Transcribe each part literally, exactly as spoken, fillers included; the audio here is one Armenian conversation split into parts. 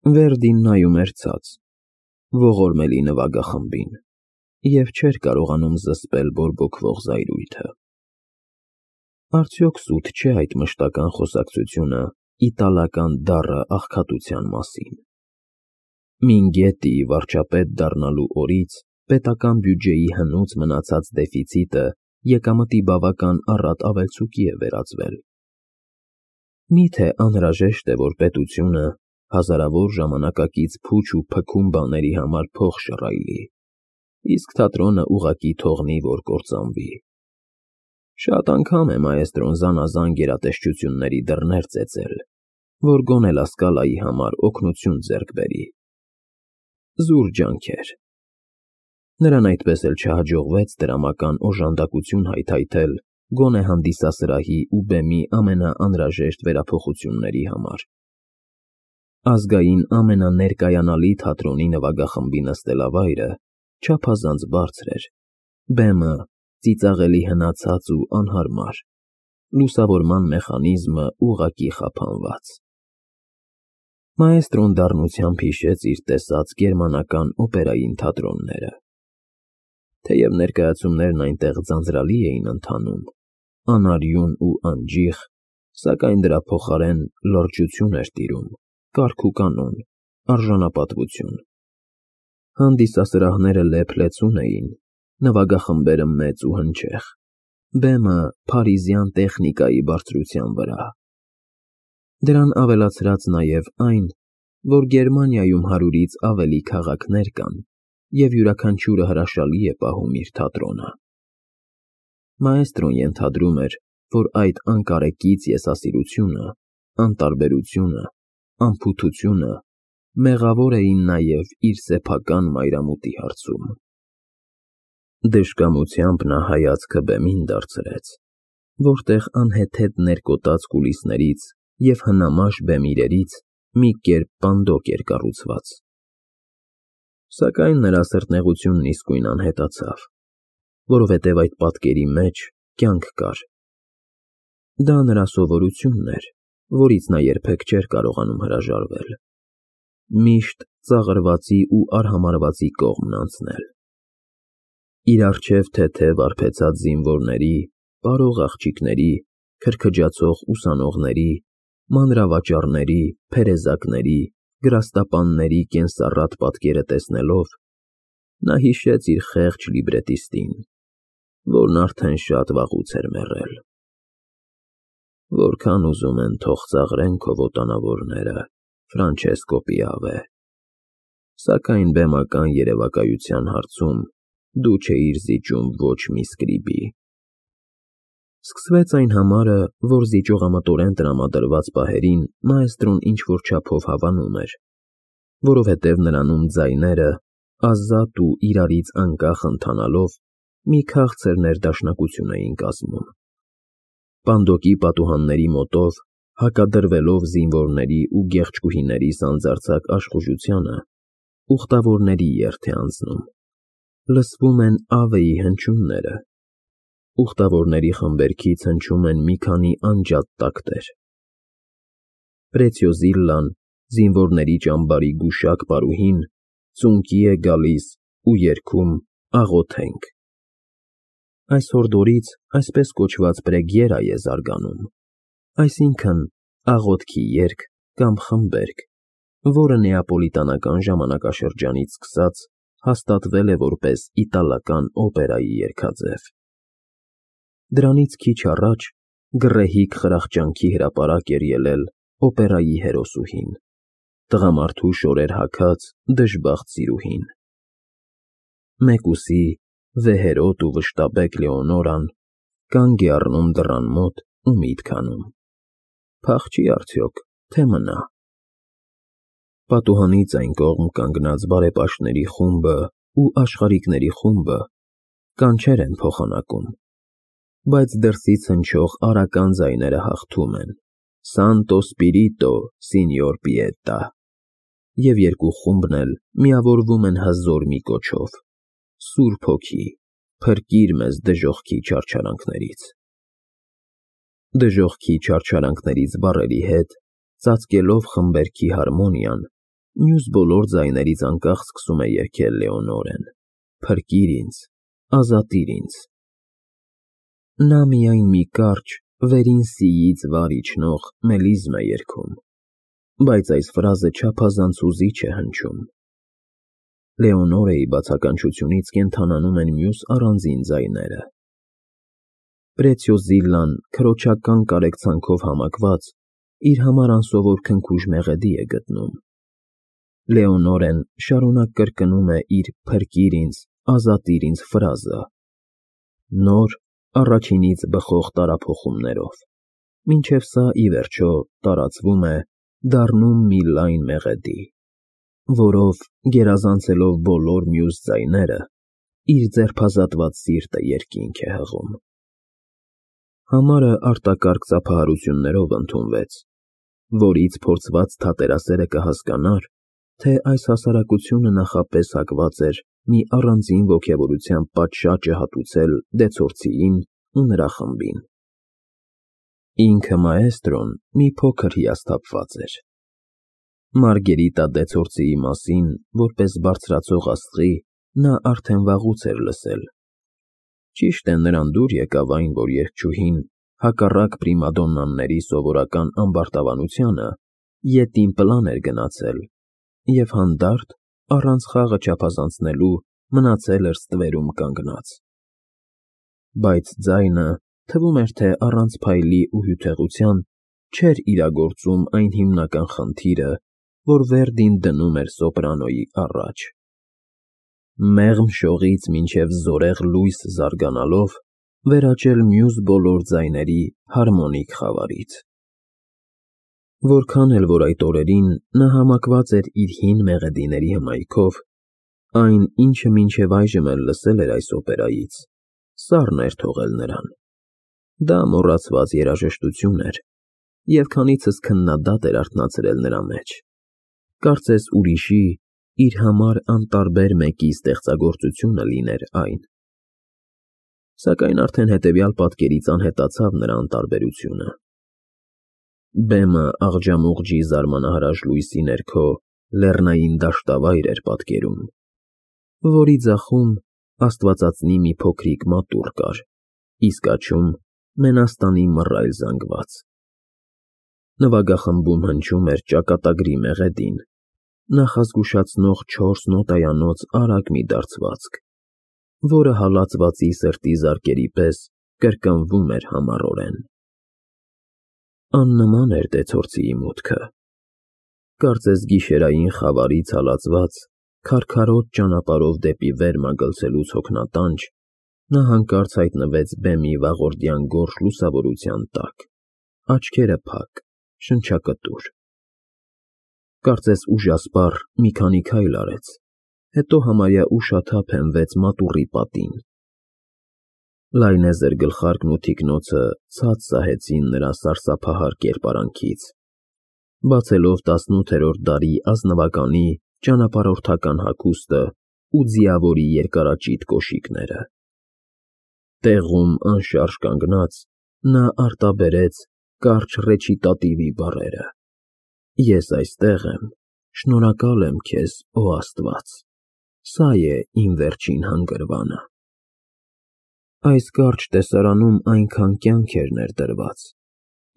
Վերդին նայում էր ցած, ողորմելի նվագախմբին, և չէր կարողանում զսպել բորբոքվող զայրույթը։ Արդյոք սուտ չէ այդ մշտական խոսակցությունը իտալական դառը աղքատության մասին։ Մինգետի վարչապետ դառնալու օրից պետական բյուջեի հնուց մնացած դեֆիցիտը եկամտի բավական առատ ավելցուկի է վերածվել։ Միթե անհրաժեշտ է, որ պետությունը հազարավոր ժամանակակից փուչ ու փքում բաների համար փող շռայլի, իսկ թատրոնը ուղղակի թողնի, որ կործանվի։ Շատ անգամ է մաեստրոն զանազան գերատեսչությունների դռներ ծեծել, որ գոնե Լա Սկալայի համար օգնություն ձեռք բերի։ Զուր ջանքեր։ Նրան այդպես էլ չհաջողվեց դրամական օժանդակություն հայթայթել գոնե հանդիսասրահի ու բեմի ամենաանհրաժեշտ վերափոխությունների համար։ Ազգային ամենաներկայանալի թատրոնի նվագախմբի նստելավայրը չափազանց բարձր էր, բեմը ծիծաղելի հնացած ու անհարմար, լուսավորման մեխանիզմը ուղղակի խափանված։ Մաեստրոն դառնությամբ հիշեց իր տեսած գերմանական օպերային թատրոնները։ Թեև ներկայացումներն այնտեղ ձանձրալի էին ընթանում, անարյուն ու անջիխ, սակայն դրա փոխարեն լրջություն էր տիրում, կարգ ու կանոն, արժանապատվություն։ Հանդիսասրահները լեփ-լեցուն էին, նվագախմբերը մեծ ու հնչեղ, բեմը փարիզյան տեխնիկայի բարձրության վրա։ Դրան ավելացրած նաև այն, որ Գերմանիայում հարյուրից ավելի քաղաքներ կան, և յուրաքանչյուրը հրաշալի է պահում իր թատրոնը։ Մաեստրոն ենթադրում էր, որ այդ անկարեկից եսասիրությունը, անտարբերությունը, անփութությունը մեղավոր էին նաև իր սեփական մայրամուտի հարցում։ Դժկամությամբ նա հայացքը բեմին դարձրեց, որտեղ անհեթեթ ներկոտած կուլիսներից և հնամաշ բեմ իրերից մի կերպ պանդոկ էր կառուցված։ Սակայն նրա սրտնեղությունն իսկույն անհետացավ, որովհետև այդ պատկերի մեջ կյանք կար։ Դա նրա սովորությունն էր, որից նա երբեք չէր կարողանում հրաժարվել։ Միշտ ծաղրվածի ու արհամարհվածի կողմն անցնել։ Իր առջև թեթև արբեցած զինվորների, պարող աղջիկների, քրքջացող ուսանողների, մանրավաճառների, փերեզակների, գրաստապանների կենսառատ պատկերը տեսնելով, նա հիշեց իր խեղճ լիբրետիստին, որն արդեն շատ վաղուց էր մեռել։ Որքան ուզում են թող ծաղրեն քո ոտանավորները, Ֆրանչեսկո Պիավե, սակայն բեմական երևակայության հարցում դու չէիր զիջում ոչ մի սկրիբի։ Սկսվեց այն համարը, որ զիջողամտորեն տրամադրված պահերին մաեստրոն ինչ-որ չափով հավանում էր, որովհետև նրանում ձայները, ազատ ու իրարից անկախ ընթանալով, մի քաղցր ներդաշնակություն էին կազմում։ Պանդոկի պատուհանների մոտով, հակադրվելով զինվորների ու գեղեցկուհիների սանձարձակ աշխուժությանը, ուխտավորների երթ է անցնում, լսվում են Ավեի հնչյունները, ուխտավորների խմբերքից հնչում են մի քանի անջատ տակտեր։ Պրեցիոզիլլան, զինվորների ճամբարի գուշակ պարուհին, ծունկի է գալիս ու երգում «Աղոթենք»։ Այս հորդորից այսպես կոչված պրեգիերա է զարգանում, այսինքն՝ աղոթքի երգ կամ խմբերգ, որը նեապոլիտանական ժամանակաշրջանից սկսած հաստատվել է որպես իտալական օպերայի երգաձև։ Դրանից քիչ առաջ գռեհիկ խրախճանքի հրապարակ էր ելել օպերայի հերոսուհին, տղամարդու շորեր հագած դժբախտ սիրուհին։ Մեկուսի, վեհերոտ ու վշտաբեկ Լեոնորան կանգ է առնում դռան մոտ ու միտք անում. փախչի՞ արդյոք, թե մնա։ Պատուհանից այն կողմ կանգնած բարեպաշտների խումբը ու աշխարհիկների խումբը կանչեր են փոխանակում, բայց դրսից հնչող արական ձայները հաղթում են. «Սանտո Սպիրիտո, Սինյոր Պիետա», և երկու խումբն էլ միավորվում են հզոր մի կոչով. «Սուրբ Հոգի, փրկիր մեզ դժոխքի չարչարանքներից»։ Դժոխքի չարչարանքներից բառերի հետ, ծածկելով խմբերգի հարմոնիան, Մյուս բոլոր ձայներից անկախ սկսում է երգել Լեոնորեն. «Փրկիր ինձ, ազատիր ինձ»։ Նա միայն մի կարճ, վերին սիից վար իջնող մելիզմ է երգում, բայց այս ֆրազը չափազանց հուզիչ է հնչում։ Լեոնորեի բացականչությունից կենդանանում են մյուս առանձին ձայները։ Պրեցիոզիլլան քրոջական կարեկցանքով համակված իր համար անսովոր քնքուշ մեղեդի է գտնում։ Լեոնորեն շարունակ կրկնում է իր «Փրկիր ինձ, ազատիր ինձ» ֆրազը, նոր, առաջինից բխող տարափոխումներով, մինչև սա ի վերջո տարածվում է, դառնում մի լայն մեղեդի, որով, գերազանցելով բոլոր մյուս ձայները, իր ձերբազատված սիրտը երկինք է հղում։ Համարը արտակարգ ծափահարություններով ընդունվեց, որից փորձված թատերասերը կհասկանար, թե այս հասարակությունը նախապես հակված էր մի առանձին ոգևորության պատշաճը հատուցել դեցորցիին ու նրա խմբին։ Ինքը մաեստրոն մի փոքր հիասթափված էր։ Մարգերիտա դեցորցիի մասին, որպես բարձրացող աստղի, նա արդեն վաղուց էր լսել։ Ճիշտ է, նրան դուր եկավ այն, որ երգչուհին, հակառակ պրիմադոննաների սովորական ամբարտավանությանը, ետին պլան էր գնացել և հանդարտ, առանց խաղը չափազանցնելու, մնացել էր ստվերում կանգնած։ Բայց ձայնը, թվում էր, թե առանց փայլի ու հյութեղության, չէր իրագործում այն հիմնական խնդիրը, որ Վերդին դնում էր սոպրանոյի առաջ։ Մեղմ շողից մինչև զորեղ լույս զարգանալով, վերաճել մյուս բոլոր ձայների հարմոնիկ խավարից։ Որքան էլ որ այդ օրերին նա համակված էր իր հին մեղեդիների հմայքով, այն, ինչը մինչև այժմ էլ լսել էր այս օպերայից, սառն էր թողել նրան։ Դա մոռացված երաժշտություն էր, և քանիցս քննադատ էր արթնացրել նրա մեջ։ Կարծես ուրիշի, իր համար անտարբեր մեկի ստեղծագործությունը լիներ այն։ Սակայն արդեն հետևյալ պատկերից անհետացավ նրա անտարբերությունը։ Բեմը աղջամուղջի զարմանահրաշ լույսի ներքո լեռնային դաշտավայր էր պատկերում, որի ձախում աստվածածնի մի փոքրիկ մատուռ կար, իսկ աջում մենաստանի մռայլ զանգված։ Նվագախմբում հնչում էր ճակատագրի մեղեդին, նախազգուշացնող չորս նոտայանոց արագ մի դարձվածք, որը հալածվածի սրտի զարկերի պես կրկնվում էր համառորեն։ Աննման էր դեցորցիի մուտքը։ Կարծես գիշերային խավարից հալածված, քարքարոտ ճանապարհով դեպի վեր մագլցելուց հոգնատանջ, նա հանկարծ հայտնվեց բեմի վաղորդյան գորշ լուսավորության տակ, աչքերը փակ, շնչակտուր։ Կարծես ուժասպառ մի քանի քայլ արեց, հետո համարյա ուշաթափ հենվեց մատուռի պատին։ Լայնեզր գլխարկն ու թիկնոցը ցած սահեցին նրա սարսափահար կերպարանքից, բացելով տասնութերորդ դարի ազնվականի ճանապարհորդական հագուստը ու ձիավորի երկարաճիտ կոշիկները։ Տեղում անշարժ կանգնած, նա արտաբերեց կարճ ռեչիտատիվի բառերը. «Ես այստեղ եմ, շնորհակալ եմ քեզ, օ Աստված, սա է իմ վերջին հանգրվանը»։ Այս կարճ տեսարանում այնքան կյանք էր ներդրված,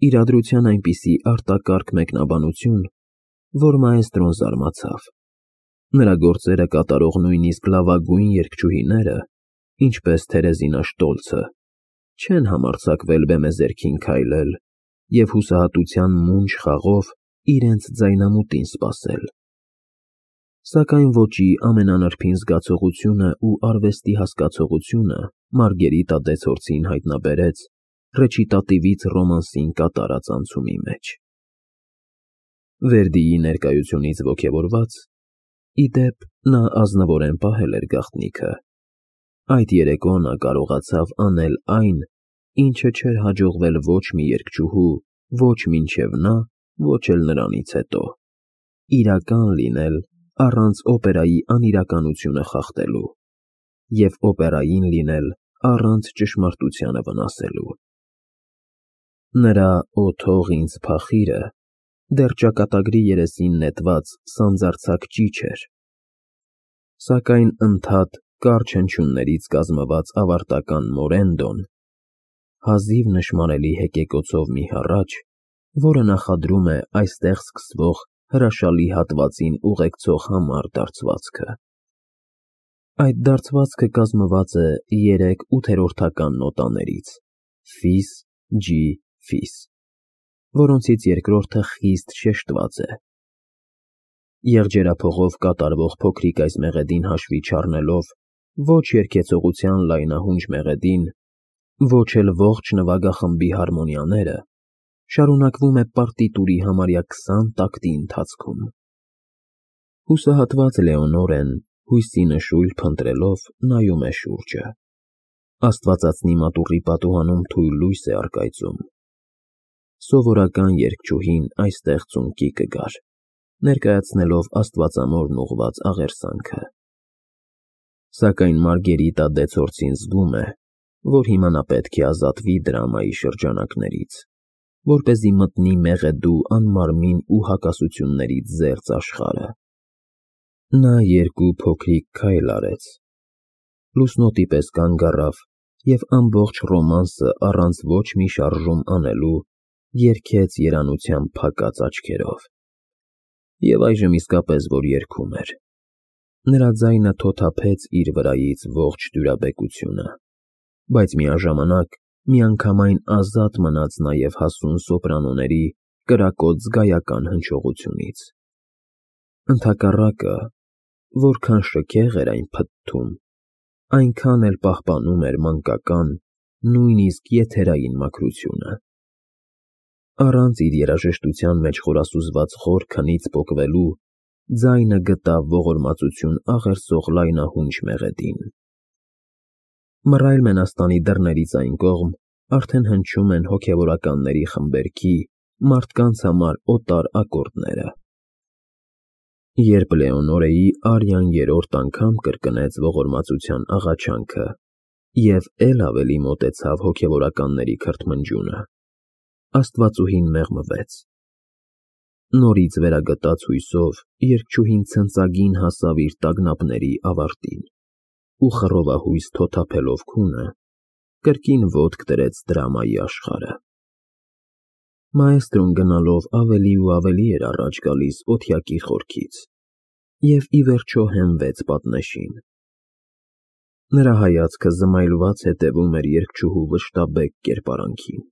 իրադրության այնպիսի արտակարգ մեկնաբանություն, որ մաեստրոն զարմացավ։ Նրա գործերը կատարող նույնիսկ լավագույն երգչուհիները, ինչպես Թերեզինա Շտոլցը, չեն համարձակվել բեմեզերքին քայլել և հուսահատության մունջ խաղով իրենց ձայնամուտին սպասել։ Սակայն ոճի ամենանրբին զգացողությունը ու արվեստի հասկացողությունը Մարգերիտա դեցորցին հայտնաբերեց ռեչիտատիվից ռոմանսին կատարած անցումի մեջ։ Վերդիի ներկայությունից ոգևորված, ի դեպ, նա ազնվորեն պահել էր գաղտնիքը, այդ երեկո նա կարողացավ անել այն, ինչը չէր հաջողվել ոչ մի երգչուհու, ոչ մինչև նա, ոչ էլ նրանից հետո, իրական լինել առանց օպերայի անիրականությունը խախտելու և օպերային լինել առանց ճշմարտությանը վնասելու։ Նրա «Օ թող ինձ փախիրը» դեռ ճակատագրի երեսին նետված սանձարձակ ճիչ էր։ Սակայն ընդհատ կարճ հնչյուններից կազմված ավարտական մորենդոն, հազիվ նշմարելի հեկեկոցով մի հառաչ, որը նախադրում է այստեղ սկսվող հրաշալի հատվածին ուղեկցող համառ դարձվածքը։ Այդ դարձվածքը կազմված է երեք ութերորդական նոտաներից՝ ֆիս, ջի, ֆիս, որոնցից երկրորդը խիստ շեշտված է։ Եղջերափողով կատարվող փոքրիկ այս մեղեդին հաշվի չառնելով ոչ երգեցողության լայնահունչ մեղեդին, ոչ էլ ողջ նվագախմբի հարմոնիաները, շարունակվում է պարտիտուրի համարյա քսան տակտի ընթացքում։ Հուսահատված Լեոնորեն հույսի նշույլ փնտրելով նայում է շուրջը։ Աստվածածնի մատուռի պատուհանում թույլ լույս է առկայծում։ Սովորական երգչուհին այստեղ ծունկի կգար, ներկայացնելով աստվածամորն ուղղված աղերսանքը։ Սակայն Մարգերիտա Դեցորցին զգում է, որ հիմա նա պետք է ազատվի դրամայի շրջանակներից, որպեսզի մտնի մեղեդու անմարմին ու հակասություններից զերծ աշխարհը։ Նա երկու փոքրիկ քայլ արեց, լուսնոտի պես կանգ առավ և ամբողջ ռոմանսը առանց ոչ մի շարժում անելու երգեց երանությամբ փակած աչքերով։ Եվ այժմ իսկապես որ երգում էր։ Նրա ձայնը թոթափեց իր վրայից ողջ դյուրաբեկությունը, բայց միաժամանակ միանգամայն ազատ մնաց նաև հասուն սոպրանոների կրակոտ զգայական հնչողությունից։ Ընդհակառակը, որքան շքեղ էր այն փթթում, այնքան էլ պահպանում էր մանկական, նույնիսկ եթերային մաքրությունը։ Առանց իր երաժշտության մեջ խորասուզված խոր քնից պոկվելու, ձայնը գտավ ողորմածություն աղերսող լայնահունչ մեղեդին։ Մռայլ մենաստանի դռներից այն կողմ արդեն հնչում են հոգևորականների խմբերքի, մարդկանց համար օտար ակորդները։ Երբ Լեոնորեի արյան երրորդ անգամ կրկնեց ողորմածության աղաչանքը և էլ ավելի մոտեցավ հոգևորականների քրթմնջյունը, աստվածուհին մեղմվեց։ Նորից վերագտած հույսով երգչուհին ցնծագին հասավ իր տագնապների ավարտին ու խռովահույս թոթափելով քունը, կրկին ոտք դրեց դրամայի աշխարհը։ Մաեստրոն գնալով ավելի ու ավելի էր առաջ գալիս օթյակի խորքից և ի վերջո հենվեց պատնեշին։ Նրա հայացքը զմայլված հետևում էր երգչուհու վշտաբեկ կերպարանքին։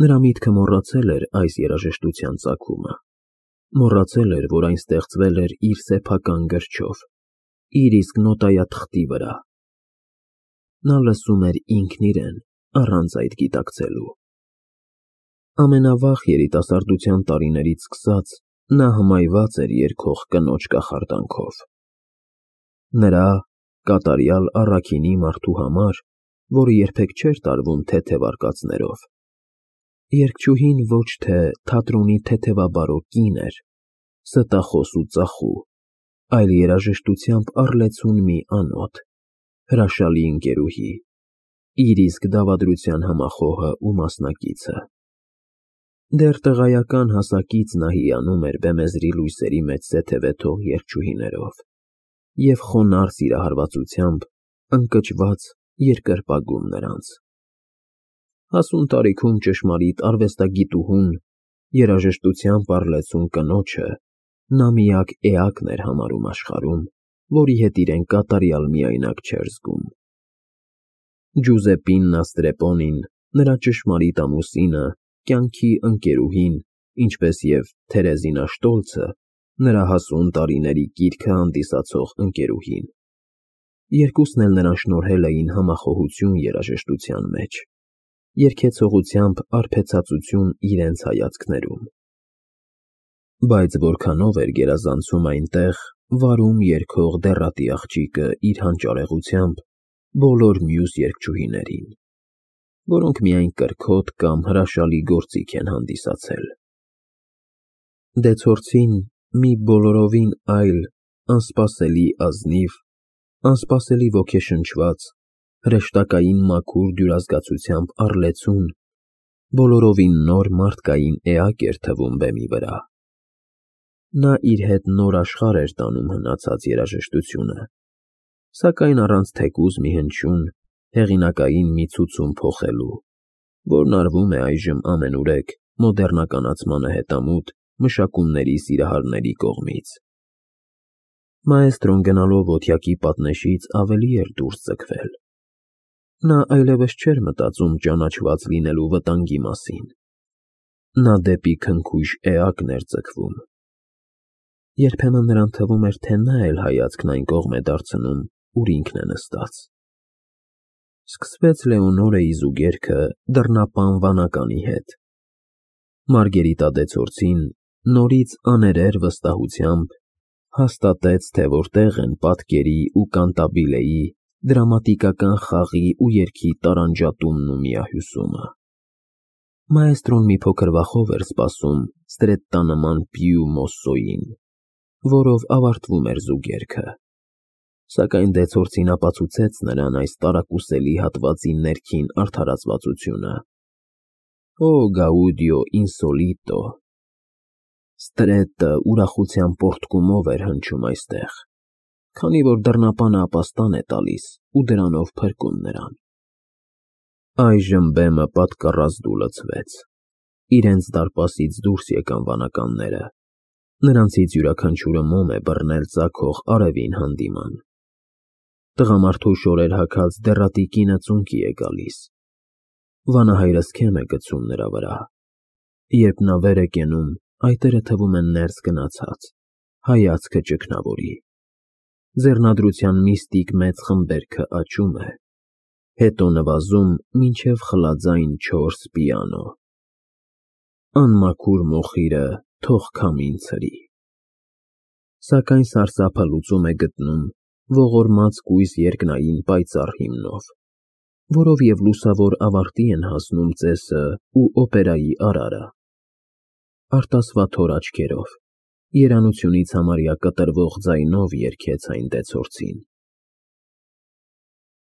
Նրա միտքը մոռացել էր այս երաժշտության ծագումը, մոռացել էր, որ այն ստեղծվել էր իր սեփական գրչով, իր իսկ նոտայաթղթի վրա։ Նա լսում էր ինքն իրեն, առանց այդ գիտակցելու։ Ամենավաղ երիտասարդության տարիներից սկսած նա հմայված էր երգող կնոջ կախարդանքով։ Նրա՝ կատարյալ առաքինի մարդու համար, որը երբեք չէր տարվում թեթև արկածներով, երգչուհին ոչ թե թատրոնի թեթևաբարո կին էր, ստախոս ու ծախու, այլ երաժշտությամբ առլեցուն մի անոթ, հրաշալի ընկերուհի, իր իսկ դավադրության համախոհը ու մասնակիցը։ Դեռ տղայական հասակից նա հիանում էր բեմեզրի լույսերի մեջ սեթևեթող երգչուհիներով և խոնարհ սիրահարվածությամբ ընկճված երկրպագում նրանց։ Հասուն տարիքում ճշմարիտ արվեստագիտուհուն, երաժշտությամբ առլեցուն կնոջը նա միակ էակն էր համարում աշխարհում, որի հետ իրեն կատարյալ միայնակ չէր զգում։ Ջուզեպպիննա Ստրեպոնին, նրա ճշմարիտ ամուսինը, կյանքի ընկերուհին, ինչպես և Թերեզինա Շտոլցը, նրա հասուն տարիների կիրքը հանդիսացող ընկերուհին, երկուսն էլ նրան շնորհել էին համախոհություն երաժշտության մեջ, երգեցողությամբ արբեցածություն իրենց հայացքներում։ Բայց որքանով էր գերազանցում այնտեղ վարում երգող դեռատի աղջիկը իր հանճարեղությամբ բոլոր մյուս երգչուհիներին, որոնք միայն կրքոտ կամ հրաշալի գործիք են հանդիսացել։ Դեցորցին մի բոլորովին այլ, անսպասելի ազնիվ, անսպասելի ոգեշնչված, հրեշտակային մաքուր դյուրազգացությամբ առլեցուն Բոլորովին նոր մարդկային էակ էր թվում բեմի վրա։ Նա իր հետ նոր աշխարհ էր տանում հնացած երաժշտությունը, սակայն առանց թեկուզ մի հնչյուն, հեղինակային մի ցուցում փոխելու, որն արվում է այժմ ամենուրեք մոդեռնականացմանը հետամուտ մշակումների սիրահարների կողմից։ Մաեստրոն գնալով ոտյակի պատնեշից ավելի էր դուրս ձգվել։ Նա այլևս չէր մտածում ճանաչված լինելու վտանգի մասին։ Նա դեպի քնքուշ էակն էր ձգվում։ Երբեմն նրան թվում էր, թե նա էլ հայացքն այն կողմ է դարձնում, ուր ինքն է նստած։ Սկսվեց Լեոնորայի զուգերքը դռնապան վանականի հետ։ Մարգերիտադեցորցին նորից աներեր վստահությամբ հաստատեց, թե որտեղ են պատկերի ու կանտաբիլեի, դրամատիկական խաղի ու երգի տարանջատումն ու միահյուսումը։ Մաեստրոն մի փոքր վախով էր սպասում ստրետտանման պիու մոսսոյին, որով ավարտվում էր զուգերքը, սակայն դեցորցին ապացուցեց նրան այս տարակուսելի հատվածի ներքին արդարացվածությունը։ Օ գաուդիո ինսոլիտո։ Ստրետը ուրախության պոռթկումով էր հնչում այստեղ, քանի որ դռնապանը ապաստան է տալիս ու դրանով փրկում նրան։ Այժմ բեմը պատկառազդու լցվեց։ Իրենց դարպասից դուրս եկան վանականները։ Նրանցից յուրաքանչյուրը մոմ է բռնել ծագող արևին հանդիման։ Տղամարդու շորեր հագած դեռատի կինը ծունկի է գալիս։ Վանահայրը սքեմ է գցում նրա վրա։ Երբ նա վեր է կենում, այտերը թվում են ներս գնացած, հայացքը ճգնավորի։ Ձեռնադրության միստիկ մեծ խմբերգը աճում է, հետո նվազում մինչև խլաձայն չորս պիանո։ Անմաքուր մոխիրը թող քամին ցրի։ Սակայն սարսափը լուծում է գտնում ողորմած կույս երկնային պայծառ հիմնով, որով և լուսավոր ավարտի են հասնում ծեսը ու օպերայի արարը։ Արտասվաթոր աչքերով, երանությունից համարյա կտրվող ձայնով երգեց այն դեցորցին։